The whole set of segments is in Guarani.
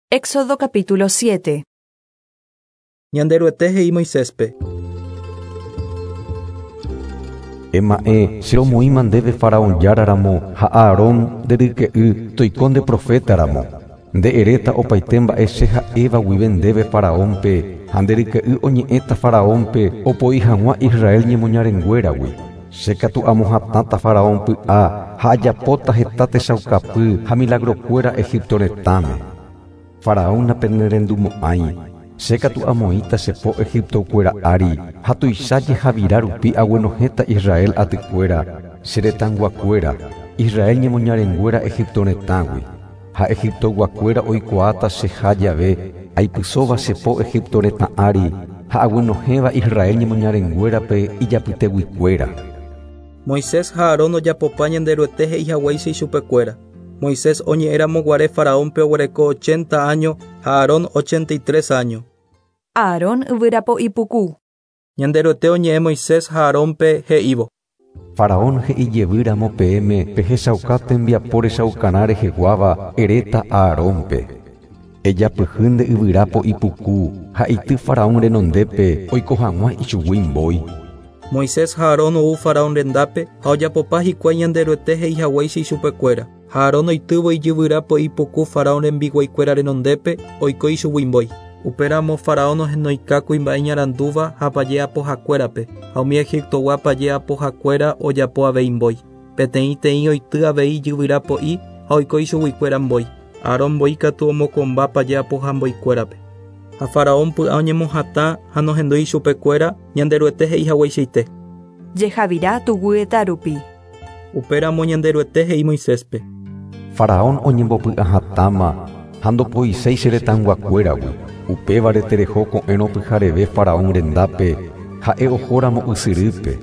Éxodo capítulo 7. Ñanderuete he'i Moiséspe. Ema'ẽ, che romoĩma ndéve Faraón jára ramo ha Aarón, nde ryke'y, toiko nde proféta ramo. Nde eréta opaite mba'e che ha'éva guive ndéve Faraónpe, ha nde ryke'y oñe'ẽta Faraónpe opoi hag̃ua Israel ñemoñarenguéragui. Che katu amohatãta Faraón py'a ha ajapóta heta techaukapy ha milagrokuéra Egipto retãme. Faraón napenerendumo'ãi, che katu amoĩta che po Egiptokuéra ári ha tuicha jehavira rupi aguenohẽta Israel atykuéra, che retãyguakuéra, Israel ñemoñarenguéra Egipto retãgui. Ha Egiptoyguakuéra oikuaáta cheha jave aipysóva che po Egipto retã ári ha aguenohẽva Israel ñemoñarenguérape ijapyteguikuéra. Moisés ha Aarón ojapopa Ñanderuete he'i haguéicha ichupekuéra. Moisés oñe'ẽramoguare Faraónpe oguereko 80 áño ha Aarón 83 áño. Aarón yvyrapo ipuku. Ñanderuete oñe'ẽ Moisés ha Aarónpe he'ívo. Faraón he'i jevýramo peẽme pehechauka tembiapo rechaukarã reheguáva eréta Aarónpe. Ejapyhy nde yvyrapo ipuku ha eity Faraón renondépe oiko hag̃ua ichugui mbói. Moisés ha Aarón ou Faraón rendápe ha ojapopa hikuái Ñanderuete he'i haguéicha ichupekuéra. Ha Aarón oitývo ijyvyrapo ipuku Faraón rembiguaikuéra renondépe oiko ichugui mbói. Upéramo Faraón ohenoika kuimba'e iñarandúva ha paje apohakuérape ha umi Egiptogua paje apohakuéra ojapo avei mbói. Peteĩteĩ oity avei ijyvyrapo'i ha oiko ichuguikuéra mbói. Aarón mbói katu omokomba paje apoha mboikuérape. Ha Faraón py'a oñemohatã ha nohendúi ichupekuéra Ñanderuete he'i hagueichaite. Jehavira tuguyeta rupi. Upéramo Ñanderuete he'i Moiséspe. Faraón oñembopy'ahatãma ha ndopoiséi che retãyguakuéragui. Upévare tereho ko'ẽrõ pyhareve Faraón rendápe ha'e ohóramo ysyrýpe.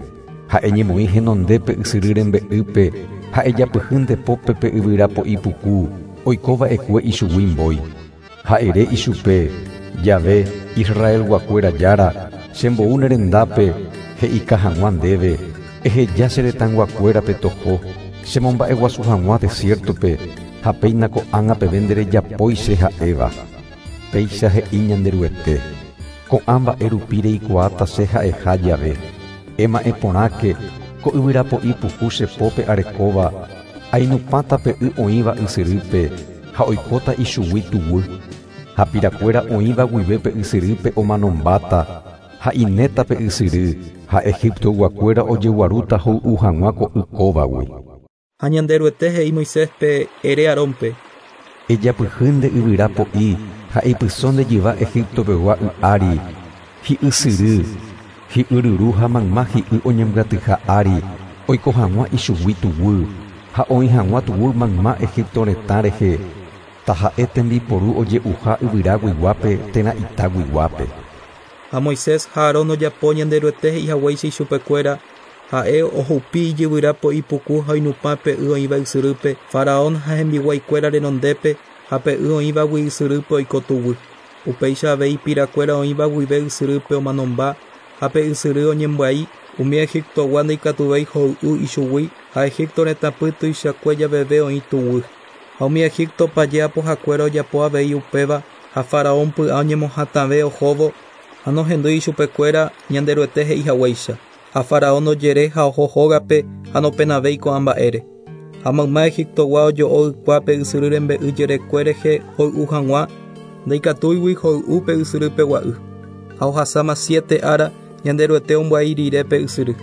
Ha'e ñemoĩ henondépe ysyry rembe'ýpe ha ejapyhy nde pópe pe yvyrapo ipuku oikova'ekue ichugui mbói. Ha ere ichupe, Jahve, Israelguakuéra Jára, chembou ne rendápe he'ika hag̃ua ndéve, eheja che retãyguakuérape toho, chemomba'eguasu hag̃ua desiértope ha péina ko'ág̃a peve nderejapói che ha'éva. Péicha he'i Ñanderuete, Ko'ã mba'e rupi reikuaáta che ha'eha jave. Ema'ẽ porãke, ko yvyrapo'i puku che pópe arekóva, ainupãta pe y oĩva ysyrýpe ha oikóta ichugui tuguy. Ha pirakuéra oĩva guive pe ysyrýpe omanombáta ha inéta pe ysyry, ha Egiptoyguakuéra ojeguarúta hoy'u hag̃ua ko y kóvagui. Ha Ñanderuete he'i Moiséspe, Ere Aarónpe. Ejapyhy nde yvyra po'i ha eipyso nde jyva Egipto pegua y ári, hi'ysyry, hi'yryru ha mayma hi'y oñembyatyha ári, oiko hag̃ua ichugui tuguy, ha oĩ hag̃ua tuguy mayma Egipto retã rehe, taha'e tembiporu oje'uha yvyra guiguápe térã ita guiguápe. Ha Moisés ha Aarón ojapo Ñanderuete he'i haguéicha ichupekuéra, ha'e ohupi ijyvyra po'i puku ha oinupã pe y oĩva ysyrýpe, Faraón ha hembiguaikuéra renondépe ha pe y oĩvagui ysyrýpe oiko tuguy. Upéicha avei pirakuéra oĩva guive ysyrýpe omanomba ha pe ysyry oñembyai, umi Egiptogua ndaikatuvéi hoy'u ichugui ha Egipto retãpy tuichakue javeve oĩ tuguy. Ha umi Egipto paje apohakuéra ojapo avei upéva ha Faraón py'a oñemohatãve ohóvo ha nohendúi ichupekuéra Ñanderuete he'i haguéicha. Ha Faraón ojere ha oho hógape ha nopenavéi ko'ã mba'ére. Ha mayma Egiptogua ojo'o ykua pe ysyry rembe'y jerekue rehe hoy'u hag̃ua, ndaikatúigui hoy'u pe ysyry pegua'y. Ha ohasáma siete ára Ñanderuete ombyai rire pe ysyry.